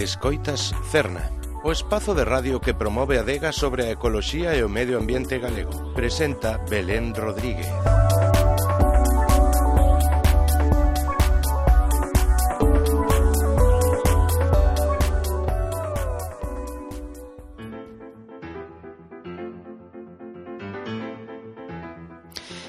Escoitas Cerna, o espazo de radio que promove a adega sobre a ecoloxía e o medio ambiente galego. Presenta Belén Rodríguez.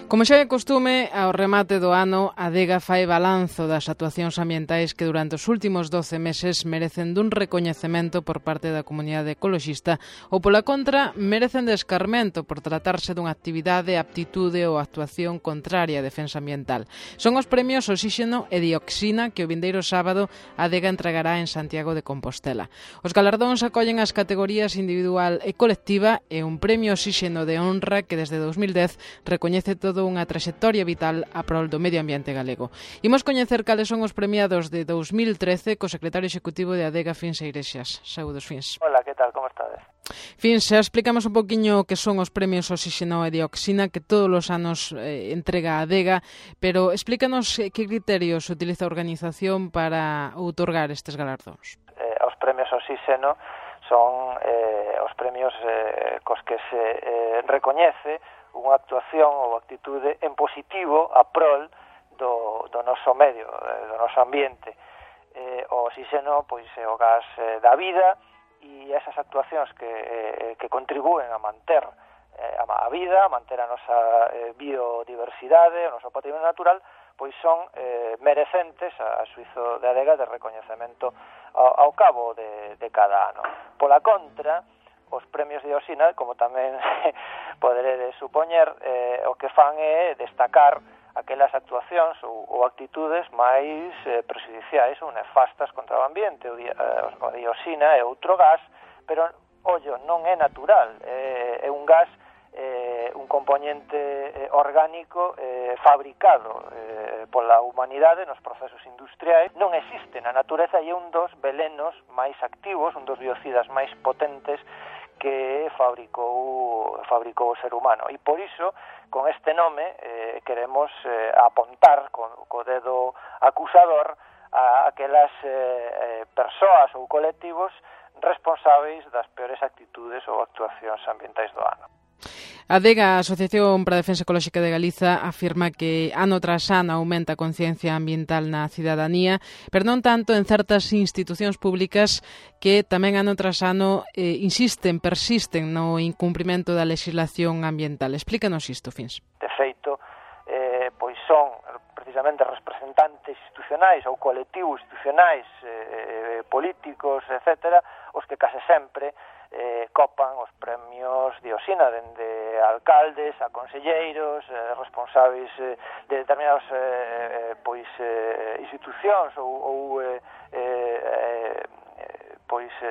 Como xa é costume, ao remate do ano, a adega fai balanzo das actuacións ambientais que durante os últimos 12 meses merecen dun recoñecemento por parte da comunidade ecoloxista ou, pola contra, merecen de escarmento por tratarse dunha actividade, aptitude ou actuación contraria á defensa ambiental. Son os premios Oxíxeno e Dioxina que o vindeiro sábado a adega entregará en Santiago de Compostela. Os galardóns acollen as categorías individual e colectiva e un premio Oxíxeno de honra que desde 2010 recoñece todo unha traxectoria vital a prol do medio ambiente galego. Imos coñecer cales son os premiados de 2013 co secretario executivo de Adega, Fins Iglesias. Saúdos, Fins. Hola, que tal? Como estades? Fins, xa explicamos un poquinho que son os premios Oxíxeno e Dioxina que todos os anos entrega a Adega, pero explícanos que criterios utiliza a organización para outorgar estes galardóns. Os premios Oxíxeno son os premios cos que se recoñece unha actuación ou actitude en positivo a prol do noso medio, do noso ambiente. O oxíxeno pois, é o gas da vida e esas actuacións que contribúen a manter a vida, a manter a nosa biodiversidade, o noso patrimonio natural, pois son merecentes a xuizo de adega de recoñecemento ao cabo de cada ano. Pola contra, os premios de Dioxina, como tamén poderedes supoñer, o que fan é destacar aquelas actuacións ou actitudes máis prexudiciais ou nefastas contra o ambiente. O dioxina é outro gas, pero, ollo, non é natural, é un gas, un componente orgánico fabricado pola humanidade nos procesos industriais. Non existe na natureza e é un dos velenos máis activos, un dos biocidas máis potentes que fabricou o ser humano. E por iso, con este nome, queremos apontar co dedo acusador a aquelas persoas ou colectivos responsáveis das peores actitudes ou actuacións ambientais do ano. A ADEGA, a Asociación para a Defensa Ecolóxica de Galiza, afirma que ano tras ano aumenta a conciencia ambiental na cidadanía, pero non tanto en certas institucións públicas que tamén ano tras ano persisten no incumprimento da legislación ambiental. Explícanos isto, Fins. De feito, pois son precisamente representantes institucionais ou colectivos institucionais, políticos, etc., os que case sempre copan os premios Dioxina, dende alcaldes a conselleiros, responsáveis de determinadas institucións ou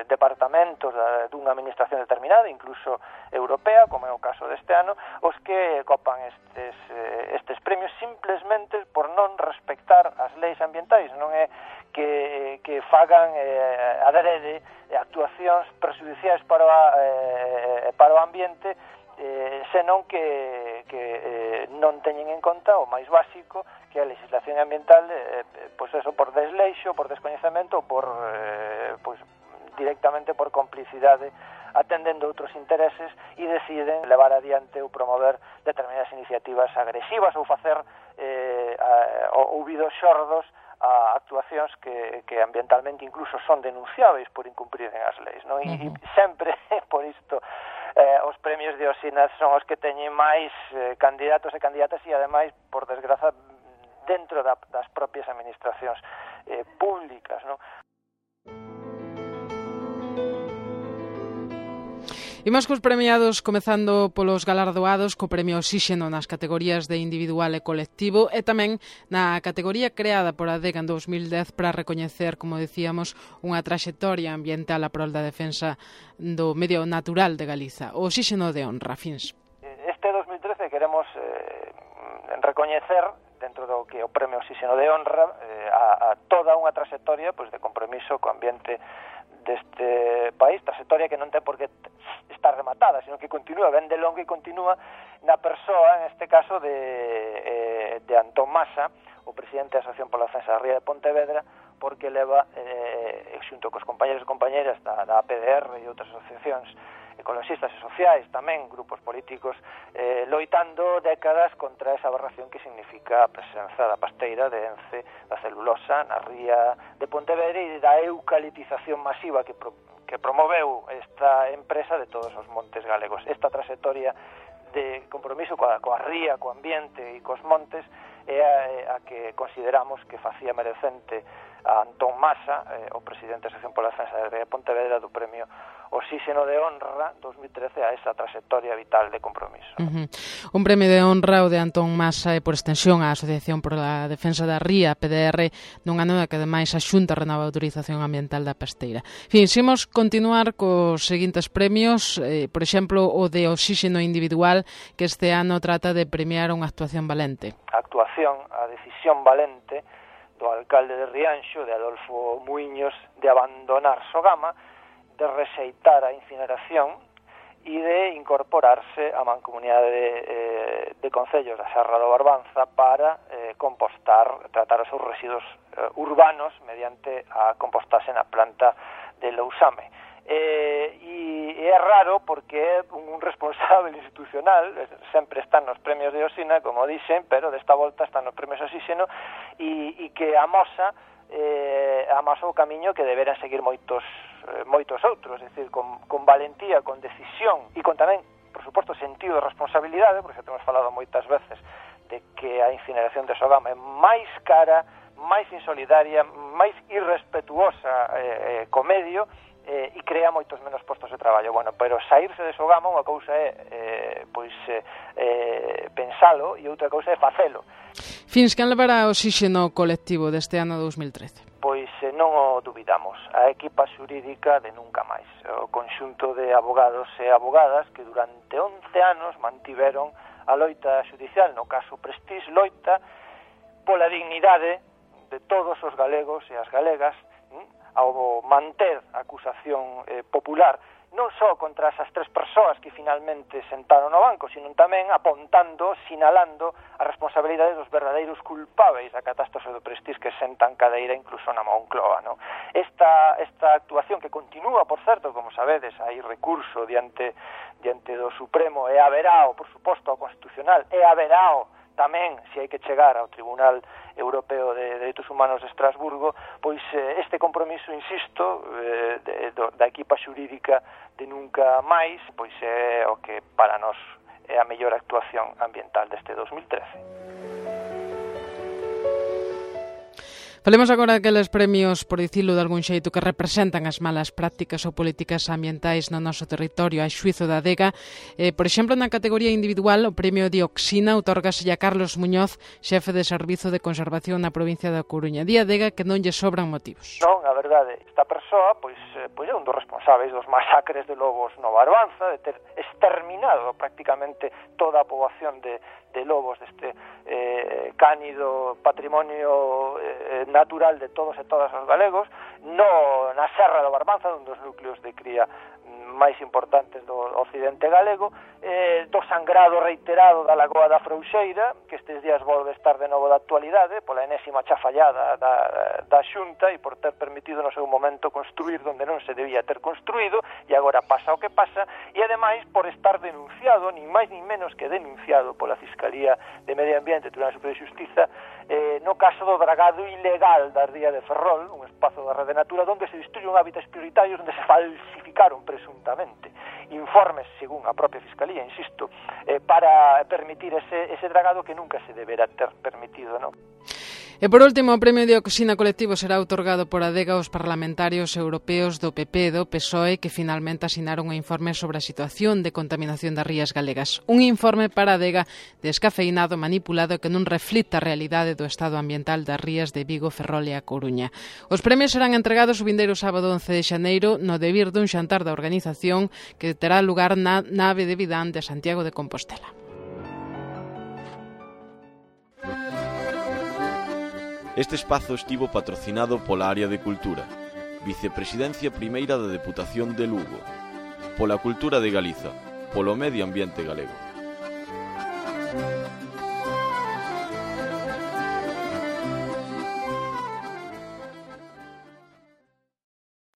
departamentos dunha administración determinada, incluso europea, como é o caso deste ano, os que copan estes premios simplesmente por non respectar as leis ambientais. Non é que fagan adrede actuacións prexudiciais para o ambiente, senón que non teñen en conta o máis básico, que a legislación ambiental, por desleixo, por descoñecemento, directamente por complicidade, atendendo outros intereses, e deciden levar adiante ou promover determinadas iniciativas agresivas ou facer ouvidos xordos a actuacións que ambientalmente incluso son denunciáveis por incumprir as leis, non? E sempre, por isto, os premios de Dioxina son os que teñen máis candidatos e candidatas e, ademais, por desgraza, dentro das propias administracións públicas, non? Imos cos premiados, comezando polos galardoados co premio Oxíxeno nas categorías de individual e colectivo e tamén na categoría creada por a ADEGA en 2010 para recoñecer, como decíamos, unha traxectoria ambiental a prol da defensa do medio natural de Galiza. O Oxíxeno de honra, Fins. Este 2013 queremos recoñecer, dentro do que o premio Oxíxeno de honra, a toda unha traxectoria de compromiso co ambiente deste país, traxectoria que non ten por que estar rematada, sino que continúa, ben de longo e continúa na persoa, en este caso, de Antón Masa, o presidente da Asociación pola Defensa da Ría de Pontevedra, porque leva xunto cos compañeros e compañeras da APDR e outras asociacións ecologistas e sociais, tamén grupos políticos, loitando décadas contra esa aberración que significa a presenza da pasteira de Ence, da celulosa, na ría de Pontevedra e da eucaliptización masiva que promoveu esta empresa de todos os montes galegos. Esta trayectoria de compromiso coa ría, co ambiente e cos montes é a que consideramos que facía merecente a Antón Masa, o presidente da Asociación pola Defensa da Ría de Pontevedra, do premio Oxígeno de Honra 2013 a esa trayectoria vital de compromiso. Un premio de honra o de Antón Masa e por extensión a Asociación pola Defensa da Ría, PDR, nun ano que ademais a Xunta renova a autorización ambiental da pasteira. Fin, imos continuar cos seguintes premios, por exemplo, o de Oxígeno individual, que este ano trata de premiar unha actuación valente. A decisión valente do alcalde de Rianxo, de Adolfo Muiños, de abandonar Sogama, de rexeitar a incineración e de incorporarse á mancomunidade de concellos da Serra do Barbanza para tratar os seus residuos urbanos mediante a compostaxe na planta de Lousame. E é raro porque é un responsable institucional, sempre están nos premios de Oxina, como dixen, pero desta volta están nos premios Oxígeno e que amosa o camiño que deberán seguir moitos outros, é dicir, con valentía, con decisión e con tamén, por suposto, sentido de responsabilidade, porque xa temos falado moitas veces de que a incineración de Sogama é máis cara, máis insolidaria, máis irrespetuosa co medio e crea moitos menos postos de traballo. Bueno, pero saírse de Sogama unha cousa é pensalo e outra cousa é facelo. Fins, quen levará o Oxígeno colectivo deste ano 2013? Pois non o dubidamos, a equipa xurídica de Nunca Máis, o conxunto de abogados e abogadas que durante 11 anos mantiveron a loita xudicial, no caso Prestige, loita pola dignidade de todos os galegos e as galegas, ao manter a acusación popular, non só contra esas tres persoas que finalmente sentaron no banco, sino tamén apontando, sinalando a responsabilidade dos verdadeiros culpáveis da catástrofe do Prestige que sentan cadeira incluso na Moncloa, no? Esta actuación que continúa, por certo, como sabedes, hai recurso diante do Supremo e haberá, por suposto, ao Constitucional, e haberá tamén, se hai que chegar ao Tribunal Europeo de Dereitos Humanos de Estrasburgo, pois este compromiso, insisto, da equipa xurídica de Nunca Máis, pois é o que para nós é a mellor actuación ambiental deste 2013. Falemos agora daqueles premios, por dicilo de algún xeito, que representan as malas prácticas ou políticas ambientais no noso territorio, a xuízo da Adega. Por exemplo, na categoría individual, o premio Dioxina outorgase a Carlos Muñoz, xefe de Servizo de Conservación na provincia da Coruña. Di Adega que non lle sobran motivos. Non, a verdade, esta persoa pois é un dos responsables dos masacres de lobos no Barbanza, de ter exterminado prácticamente toda a poboación de lobos deste cánido patrimonio natural de todos e todas os galegos, na Serra do Barbanza, un dos núcleos de cría máis importantes do occidente galego, do sangrado reiterado da Lagoa da Frouxeira, que estes días volve estar de novo da actualidade, pola enésima chafallada da Xunta e por ter permitido no seu momento construir onde non se debía ter construído, e agora pasa o que pasa, e ademais por estar denunciado, ni máis ni menos que denunciado pola Fiscalía de Medio Ambiente, Tribunal Superior de Xustiza, no caso do dragado ilegal da ría de Ferrol, un espazo da Rede Natura, onde se destruyen hábitats prioritarios, onde se falsificaron presuntamente informes, según a propia Fiscalía, insisto, para permitir ese dragado que nunca se deberá ter permitido, non? E por último, o premio Dioxina colectivo será outorgado por Adega aos parlamentarios europeos do PP e do PSOE que finalmente asinaron un informe sobre a situación de contaminación das rías galegas. Un informe para Adega descafeinado, manipulado e que non reflita a realidade do estado ambiental das rías de Vigo, Ferrol e a Coruña. Os premios serán entregados o vindeiro sábado 11 de xaneiro no debir dun xantar da organización que terá lugar na nave de Vidán de Santiago de Compostela. Este espazo estivo patrocinado pola Área de Cultura, Vicepresidencia Primeira da Deputación de Lugo, pola Cultura de Galiza, polo Medio Ambiente Galego.